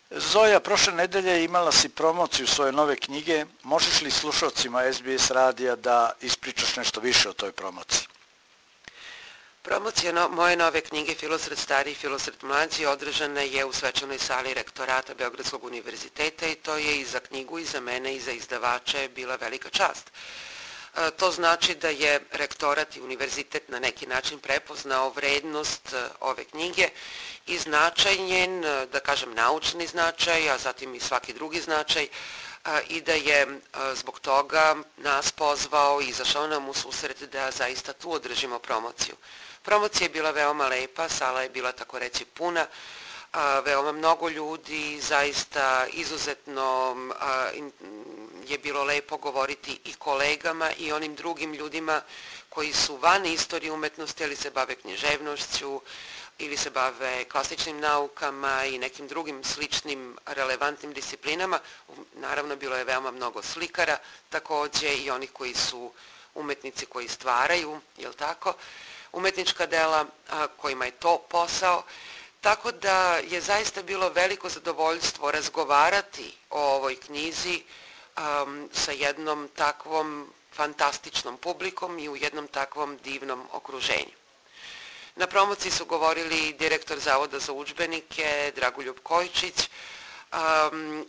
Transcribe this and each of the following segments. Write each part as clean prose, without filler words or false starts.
Zoja, prošle nedelje imala si promociju svoje nove knjige. Možeš li slušalcima SBS radija da ispričaš nešto više o toj promociji? Promocija moje nove knjige Filosred stari i Filosred mlađi održana je u svečanoj sali rektorata Beogradskog univerziteta i to je i za knjigu i za mene i za izdavače bila velika čast. To znači da je rektorat i univerzitet na neki način prepoznao vrednost ove knjige i značaj njen, da kažem naučni značaj, a zatim i svaki drugi značaj, i da je zbog toga nas pozvao i izašao nam u susret da zaista tu održimo promociju. Promocija je bila veoma lepa, sala je bila tako reći puna, veoma mnogo ljudi, zaista izuzetno je bilo lepo govoriti i kolegama i onim drugim ljudima koji su van istorije umetnosti, ali se bave književnošću ili se bave klasičnim naukama i nekim drugim sličnim relevantnim disciplinama. Naravno, bilo je veoma mnogo slikara, takođe i onih koji su umetnici koji stvaraju, jel tako, umetnička dela kojima je to posao. Tako da je zaista bilo veliko zadovoljstvo razgovarati o ovoj knjizi sa jednom takvom fantastičnom publikom i u jednom takvom divnom okruženju. Na promociji su govorili direktor Zavoda za udžbenike Dragoljub Kojčić,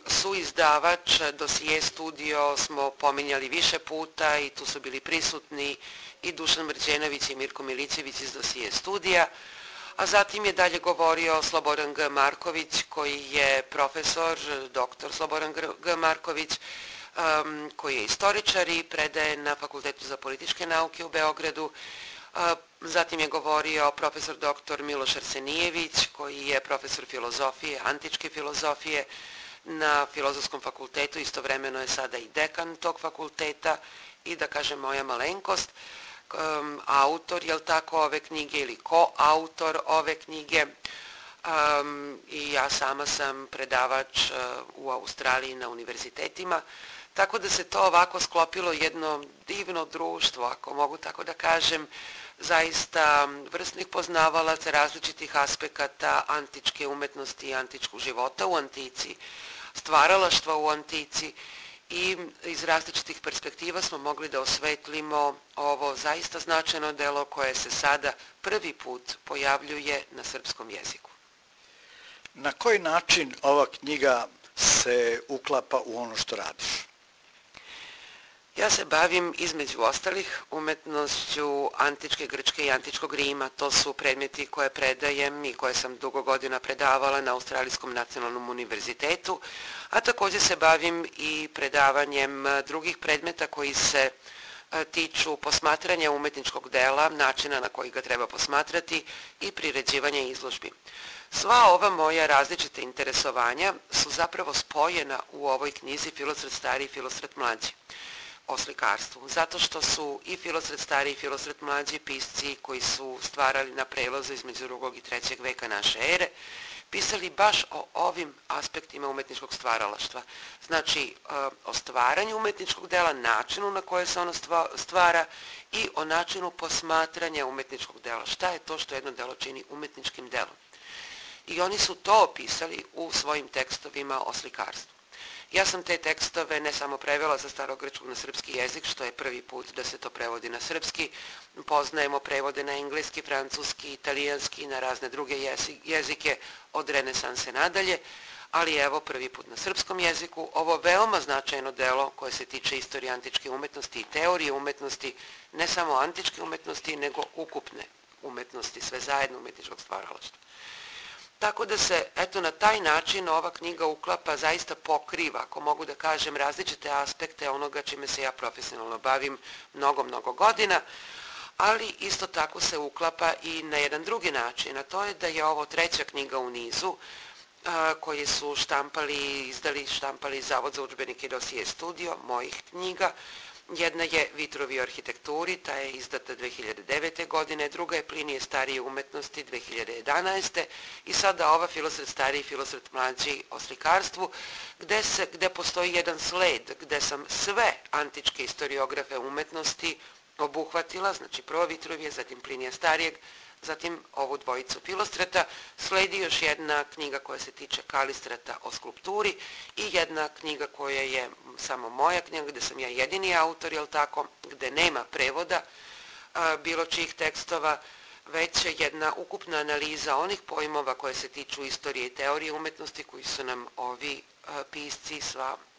suizdavač Dosije studio smo pominjali više puta i tu su bili prisutni i Dušan Mrđenović i Mirko Milićević iz Dosije studija, a zatim je dalje govorio Slobodan G. Marković koji je profesor, doktor Slobodan G. Marković, koji je istoričar i predaje na Fakultetu za političke nauke u Beogradu. Zatim je govorio profesor dr. Miloš Arsenijević koji je profesor filozofije, antičke filozofije na Filozofskom fakultetu, istovremeno je sada i dekan tog fakulteta i da kažem moja malenkost, autor, jel tako, ove knjige ili koautor ove knjige. I ja sama sam predavač u Australiji na univerzitetima, tako da se to ovako sklopilo jedno divno društvo, ako mogu tako da kažem, zaista vrsnih poznavalaca različitih aspekata antičke umetnosti i antičkog života u antici, stvaralaštva u antici i iz različitih perspektiva smo mogli da osvetlimo ovo zaista značajno delo koje se sada prvi put pojavljuje na srpskom jeziku. Na koji način ova knjiga se uklapa u ono što radiš? Ja se bavim između ostalih umetnošću antičke Grčke i antičkog Rima. To su predmeti koje predajem i koje sam dugo godina predavala na Australijskom nacionalnom univerzitetu, a također se bavim i predavanjem drugih predmeta koji se tiču posmatranja umetničkog dela, načina na koji ga treba posmatrati i priređivanja izložbi. Sva ova moja različita interesovanja su zapravo spojena u ovoj knjizi Filosred stari i Filosred mlađi o slikarstvu, zato što su i Filosred stari i Filosred mlađi pisci koji su stvarali na prelazu između 2. i 3. veka naše ere, pisali baš o ovim aspektima umetničkog stvaralaštva. Znači, o stvaranju umetničkog dela, načinu na koje se ono stvara i o načinu posmatranja umetničkog dela. Šta je to što jedno delo čini umetničkim delom? I oni su to opisali u svojim tekstovima o slikarstvu. Ja sam te tekstove ne samo prevela sa starogrčkog na srpski jezik, što je prvi put da se to prevodi na srpski. Poznajemo prevode na engleski, francuski, italijanski i na razne druge jezike od renesanse nadalje, ali evo prvi put na srpskom jeziku. Ovo veoma značajno delo koje se tiče istorije antičke umetnosti i teorije umetnosti, ne samo antičke umetnosti, nego ukupne umetnosti, sve zajedno umetničkog stvaralaštva. Tako da se, eto, na taj način ova knjiga uklapa, zaista pokriva, ako mogu da kažem, različite aspekte onoga čime se ja profesionalno bavim mnogo godina, ali isto tako se uklapa i na jedan drugi način, a to je da je ovo 3. knjiga u nizu koje su štampali Zavod za udžbenike i Dosije studio, mojih knjiga. Jedna je Vitrovi o arhitekturi, ta je izdata 2009. godine, druga je Plinije starije umetnosti 2011. i sada ova Filosred stariji i Filosred mlađi o slikarstvu, gde postoji jedan sled, gde sam sve antičke historiografe umetnosti obuhvatila, znači prvo Vitrovije, zatim Plinija starijeg, zatim ovu dvojicu Filostrata, sledi još jedna knjiga koja se tiče Kalistrata o skulpturi i jedna knjiga koja je samo moja knjiga, gde sam ja jedini autor, jel tako, gde nema prevoda bilo čijih tekstova, već jedna ukupna analiza onih pojmova koje se tiču istorije i teorije umetnosti koji su nam ovi pisci,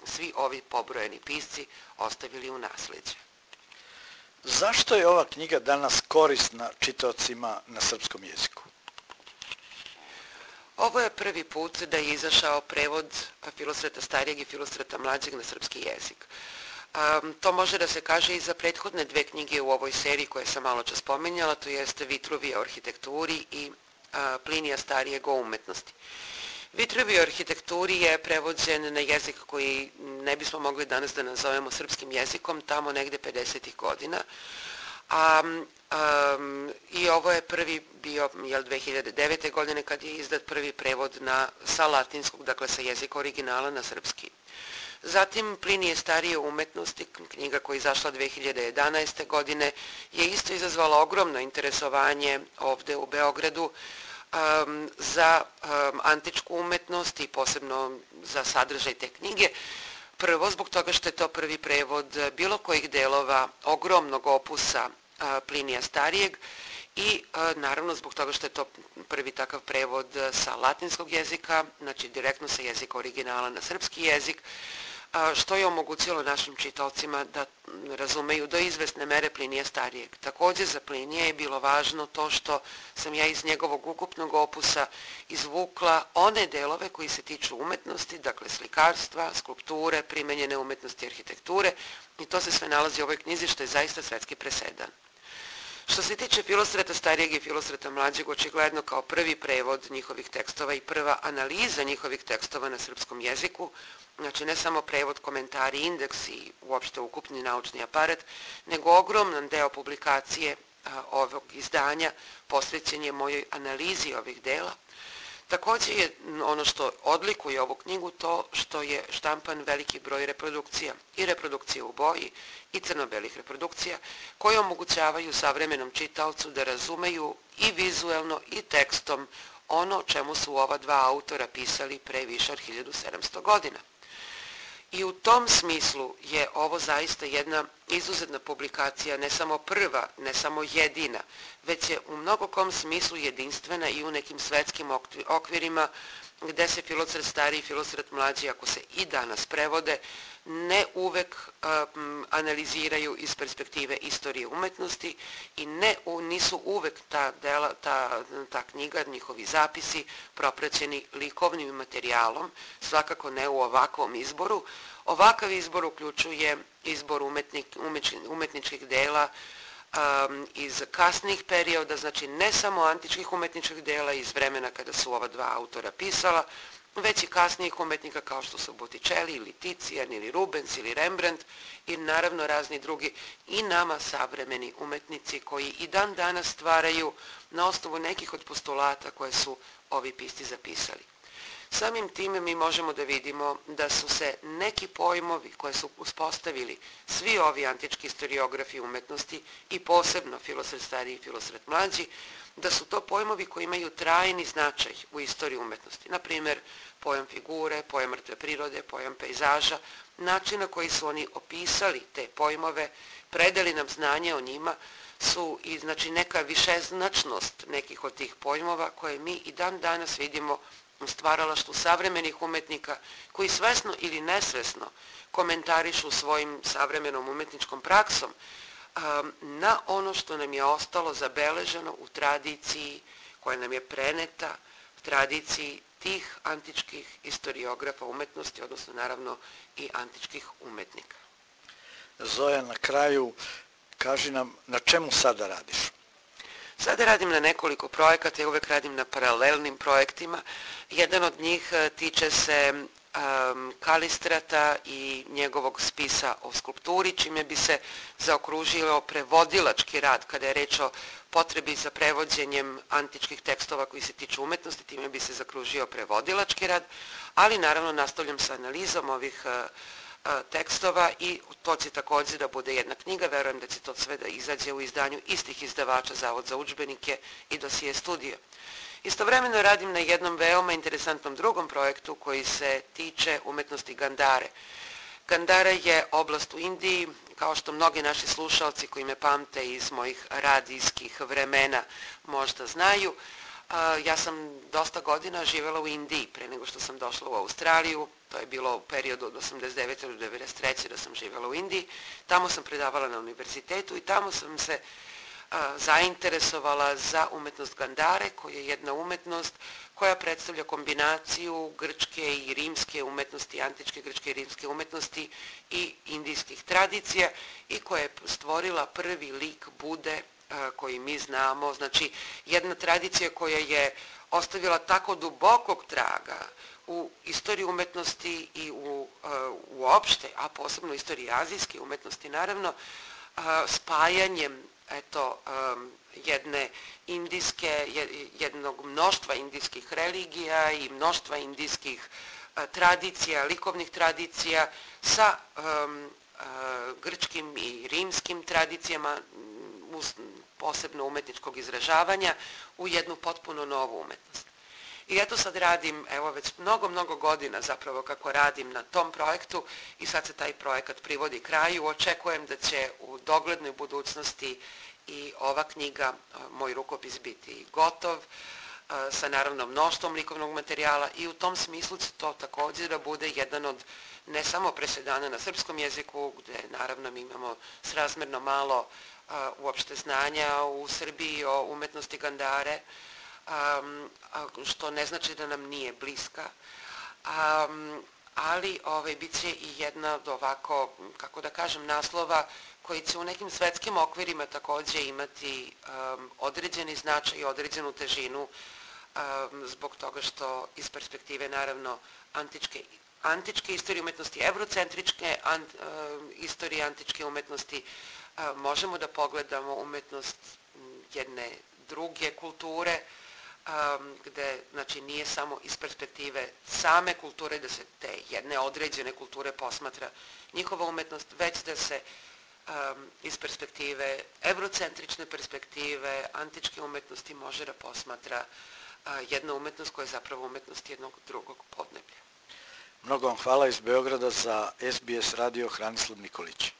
svi ovi pobrojeni pisci ostavili u nasleđe. Zašto je ova knjiga danas korisna čitaocima na srpskom jeziku? Ovo je prvi put da je izašao prevod Filostrata starijeg i Filostrata mlađeg na srpski jezik. To može da se kaže i za prethodne dve knjige u ovoj seriji koje sam malo čas spominjala, to jeste Vitruvije o arhitekturi i Plinija starijeg o umetnosti. Vitruvije o arhitekturi je prevođen na jezik koji ne bismo mogli danas da nazovemo srpskim jezikom, tamo negde 50. godina. I ovo je prvi bio 2009. godine kad je izdat prvi prevod sa latinskog, dakle sa jezika originala na srpski. Zatim Plinije starije umetnosti, knjiga koja je izašla 2011. godine, je isto izazvala ogromno interesovanje ovde u Beogradu za antičku umetnost i posebno za sadržaj te knjige. Prvo zbog toga što je to prvi prevod bilo kojih delova ogromnog opusa Plinija starijeg i naravno zbog toga što je to prvi takav prevod sa latinskog jezika, znači direktno sa jezika originala na srpski jezik, što je omogućilo našim čitaocima da razumeju do izvesne mere Plinija starijeg. Također za Plinija je bilo važno to što sam ja iz njegovog ukupnog opusa izvukla one delove koji se tiču umetnosti, dakle slikarstva, skulpture, primenjene umetnosti i arhitekture, i to se sve nalazi u ovoj knjizi što je zaista svetski presedan. Što se tiče Filostrata starijeg i Filostrata mlađeg, očigledno kao prvi prevod njihovih tekstova i prva analiza njihovih tekstova na srpskom jeziku, znači ne samo prevod, komentari, indeks i uopšte ukupni naučni aparat, nego ogroman deo publikacije ovog izdanja posvećen je mojoj analizi ovih dela. Također je ono što odlikuje ovu knjigu to što je štampan veliki broj reprodukcija i reprodukcije u boji i crno-belih reprodukcija koje omogućavaju savremenom čitaocu da razumeju i vizuelno i tekstom ono o čemu su ova dva autora pisali pre više od 1700 godina. I u tom smislu je ovo zaista jedna izuzetna publikacija, ne samo prva, ne samo jedina, već je u mnogo kom smislu jedinstvena i u nekim svetskim okvirima gde se Filostrat stariji i Filostrat mlađi, ako se i danas prevode, ne uvek analiziraju iz perspektive istorije umetnosti i nisu uvek ta knjiga, njihovi zapisi propraćeni likovnim materijalom, svakako ne u ovakvom izboru. Ovakav izbor uključuje izbor umetničkih dela iz kasnih perioda, znači ne samo antičkih umetničkih dela iz vremena kada su ova dva autora pisala, već i kasnijih umetnika kao što su Botticelli ili Tician ili Rubens ili Rembrandt i naravno razni drugi i nama savremeni umetnici koji i dan danas stvaraju na osnovu nekih od postulata koje su ovi pisci zapisali. Samim time mi možemo da vidimo da su se neki pojmovi koje su uspostavili svi ovi antički historiografi umetnosti i posebno Filostrat stariji i Filostrat mlađi, da su to pojmovi koji imaju trajni značaj u istoriji umetnosti. Naprimjer, pojam figure, pojam mrtve prirode, pojam pejzaža, način na koji su oni opisali te pojmove, predali nam znanje o njima, su i znači neka višeznačnost nekih od tih pojmova koje mi i dan danas vidimo u stvaralaštvu savremenih umetnika koji svesno ili nesvesno komentarišu svojim savremenom umetničkom praksom na ono što nam je ostalo zabeleženo u tradiciji koja nam je preneta, u tradiciji tih antičkih historiografa umetnosti, odnosno naravno i antičkih umetnika. Zoja, na kraju kaži nam na čemu sada radiš? Sada radim na nekoliko projekata, ja uvek radim na paralelnim projektima. Jedan od njih tiče se Kalistrata i njegovog spisa o skulpturi, čime bi se zaokružilo prevodilački rad kada je reč o potrebi za prevođenjem antičkih tekstova koji se tiču umetnosti, time bi se zakružio prevodilački rad, ali naravno nastavljam sa analizom ovih tekstova i to će također da bude jedna knjiga. Verujem da će to sve da izađe u izdanju istih izdavača, Zavod za udžbenike i Dosije studio. Istovremeno radim na jednom veoma interesantnom drugom projektu koji se tiče umetnosti Gandhare. Gandhara je oblast u Indiji, kao što mnogi naši slušalci koji me pamte iz mojih radijskih vremena možda znaju. Ja sam dosta godina živjela u Indiji pre nego što sam došla u Australiju. To je bilo u periodu od 89. do 93. da sam živjela u Indiji. Tamo sam predavala na univerzitetu i tamo sam se zainteresovala za umetnost Gandhare, koja je jedna umetnost koja predstavlja kombinaciju grčke i rimske umetnosti, antičke grčke i rimske umetnosti i indijskih tradicija i koja je stvorila prvi lik Bude koji mi znamo. Znači, jedna tradicija koja je ostavila tako dubokog traga u istoriji umetnosti i uopšte, a posebno u istoriji azijske umetnosti, naravno, spajanjem jednog mnoštva indijskih religija i mnoštva indijskih tradicija, likovnih tradicija sa grčkim i rimskim tradicijama, posebno umetničkog izražavanja, u jednu potpuno novu umetnost. I eto sad radim, evo već mnogo godina zapravo kako radim na tom projektu i sad se taj projekat privodi kraju. Očekujem da će u doglednoj budućnosti i ova knjiga, moj rukopis, biti gotov, sa naravno mnoštvom likovnog materijala i u tom smislu će to također da bude jedan od ne samo presedana na srpskom jeziku, gde naravno mi imamo srazmerno malo uopšte znanja u Srbiji o umetnosti Gandhare, što ne znači da nam nije bliska, ali bit će i jedna od ovako, kako da kažem, naslova koji će u nekim svetskim okvirima također imati određeni značaj i određenu težinu zbog toga što iz perspektive naravno antičke istorije umetnosti, eurocentričke istorije antičke umetnosti, možemo da pogledamo umetnost jedne druge kulture, gde znači nije samo iz perspektive same kulture da se te jedne određene kulture posmatra njihova umetnost, već da se iz perspektive eurocentrične perspektive antičke umetnosti može da posmatra jedna umetnost koja je zapravo umetnost jednog drugog podneblja. Mnogo vam hvala iz Beograda za SBS radio, Hranislav Nikolić.